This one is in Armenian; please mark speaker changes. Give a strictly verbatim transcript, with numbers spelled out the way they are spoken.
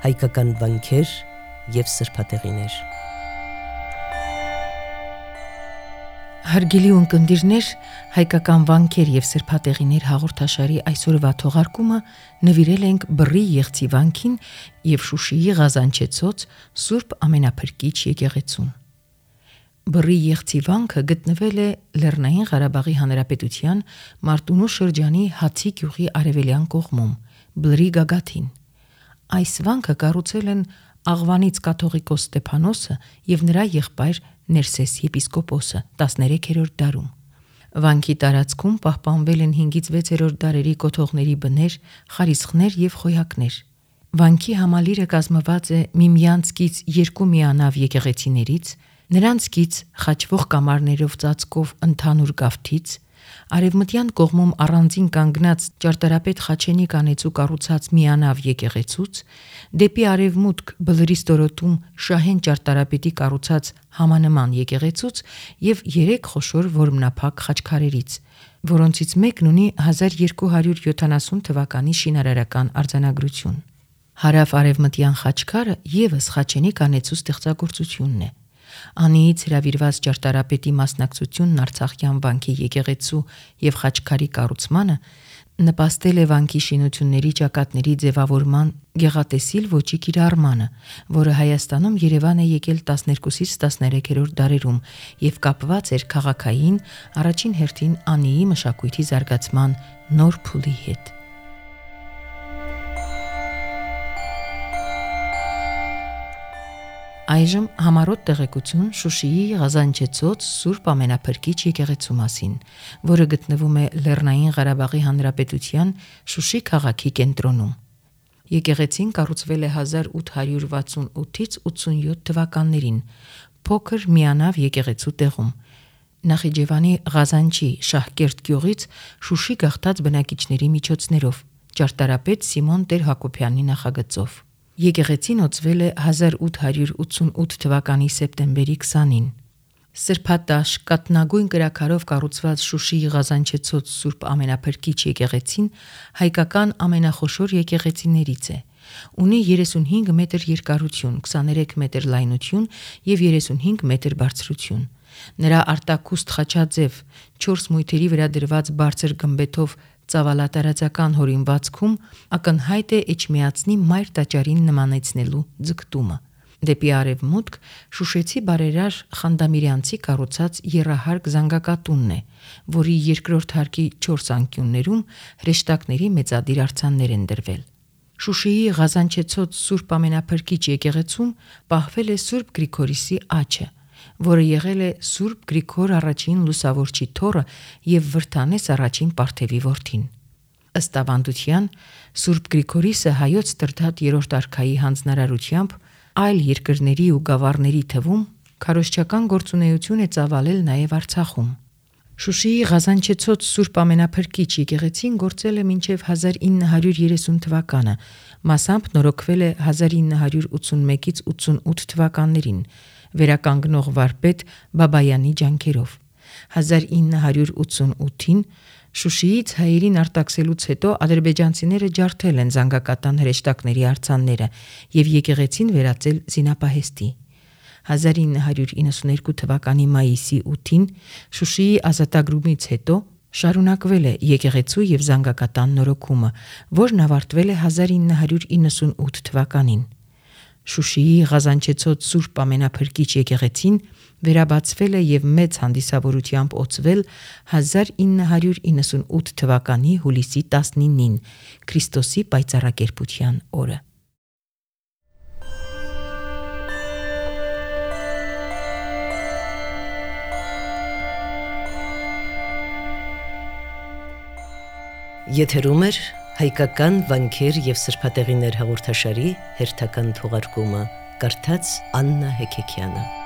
Speaker 1: հայկական վանքեր և սրբատեղիներ։
Speaker 2: Հարգելի ունկնդիրներ, հայկական վանքեր և սրբատեղիներ հաղորդաշարի այսօրվա թողարկումը նվիրել ենք Բռի Եղցի վանքին և Շուշիի Ղազանչեցոց Սուրբ Ամենափրկիչ եկեղեցուն։ Բռի Եղցի վանքը գտնվել է Լեռնային Ղարաբաղի Հանրապետության Մարտունու շրջանի Հացի գյուղի արևելյան կողմում, Բլրի գագաթին։ Այս վանքը կառուցել են Աղվանից կաթողիկոս Ստեփանոսը և նրա եղբայր Ներսես եպիսկոպոսը տասներեքերորդ դարում։ Վանքի տարածքում պահպանվել են հինգից վեցերորդ դարերի կոթողների բներ, խարիսխներ և խոյակներ։ Վանքի համալիրը կազմված է միմյանց կից երկու միանավ եկեղեցիներից, նրանց կից խաչվող կամարներով ծածկով ընդհանուր գավթից, արևմտյան կողմում առանձին կանգնած ճարտարապետ Խաչենի կանեցու կառուցած միանավ եկեղեցուց, դեպի արևմուտք Բլրի ստորոտում Շահեն ճարտարապետի կառուցած համանման եկեղեցուց և երեք խոշոր որմնափակ խաչքարերից, որոնցից մեկն ունի հազար երկու հարյուր յոթանասուն թվականի շինարարական արձանագրություն։ Հարավ-արևմտյան խաչքարը ևս Խաչենի կանեցու ստեղծագործությունն է։ Անիից հրավիրված ճարտարապետի մասնակցությունն Արցախյան վանքի եկեղեցու և խաչքարի կառուցմանը նպաստել է վանքի շինությունների ճակատների ձևավորման գեղատեսիլ ոճի կիրառմանը, որը Հայաստանում երևան է եկել տասներկուսից տասներեքերորդ դարերում և կապված էր քաղաքային, առաջին հերթին Անիի մշակույթի զարգացման նոր փուլի հետ։ Այժմ համառոտ տեղեկություն Շուշիի Ղազանչեցոց Սուրբ Ամենափրկիչ եկեղեցու մասին, որը գտնվում է Լեռնային Ղարաբաղի Հանրապետության Շուշի քաղաքի կենտրոնում։ Եկեղեցին կառուցվել է հազար ութ հարյուր վաթսունութից ութսունյոթ թվականներին, փոքր միանավ եկեղեցու տեղում, Նախիջևանի Ղազանչի Շահկերտ գյուղից Շուշի գաղթած բնակիչների միջոցներով, ճարտարապետ Սիմոն Տեր-Հակոբյանի նախագծով։ Եկեղեցին օծվել է հազար ութ հարյուր ութսունութ թվականի սեպտեմբերի քսանին։ Սրբատաշ կաթնագույն կրաքարով կառուցված Շուշիի Ղազանչեցոց Սուրբ Ամենափրկիչ եկեղեցին հայկական ամենախոշոր եկեղեցիներից է։ Ունի երեսունհինգ մետր երկարություն, քսաներեք մետր լայնություն և երեսունհինգ մետր բարձրություն։ Նրա արտաքուստ խաչաձև, չորս մույթերի վրա դրված բարձր գմբեթով ծավալատարածական հորինվածքում ակնհայտ է Էջմիածնի Մայր տաճարին նմանեցնելու ձգտումը։ Դեպի արևմուտք շուշեցի բարերար Խանդամիրյանցի կառուցած եռահարկ զանգակատունն է, որի երկրորդ հարկի չորս անկյուններում հրեշտակների մեծադիր արձաններ են դրվել։ Շուշիի Ղազանչեցոց Սուրբ Ամենափրկիչ եկեղեցում պահվել է Սուրբ Գրիգորիսի աջը, որը եղել է Սուրբ Գրիգոր առաջին Լուսավորչի թոռը և Վրդանես առաջին Պարթևի որդին։ Ըստ ավանդության, Սուրբ Գրիգորիսը հայոց Տրդատ երրորդ արքայի հանձնարարությամբ այլ երկրների ու գավառների թվում քարոզչական գործունեություն է ծավալել նաև Արցախում։ Շուշիի Ղազանչեցոց Սուրբ Ամենափրկիչ եկեղեցին գործել է մինչև հազար ինը հարյուր երեսուն թվականը, մասամբ նորոգվել է հազար ինը հարյուր ութսունմեկից ութսունութ թվականներին, վերականգնող վարպետ Բաբայանի ջանքերով։ հազար ինը հարյուր ութսունութին Շուշիից հայերին արտաքսելուց հետո ադրբեջանցիները ջարդել են զանգակատան հրեշտակների արձանները և եկեղեցին վերածել զինապահեստի։ հազար ինը հարյուր իննսունհինգ թվականի մայիսի ութին Շուշիի ազատագրումից հետո շարունակվել է եկեղեցու և զանգակատան նորոգումը, որն ավարտվել է հազար ինը հարյուր իննսունութ թվականին։ Շուշիի Ղազանչեցոց Սուրբ Ամենափրկիչ եկեղեցին վերաբացվել է և մեծ հանդիսավորությամբ օծվել հազար ինը հարյուր իննսունութ թվականի հուլիսի տասնինին, Քրիստոսի պայծառակերպության օրը։
Speaker 1: Եթերում է հայկական վանքեր և սրբատեղիներ հաղորդաշարի հերթական թողարկումը, կարդաց Աննա Հեքեքյանը։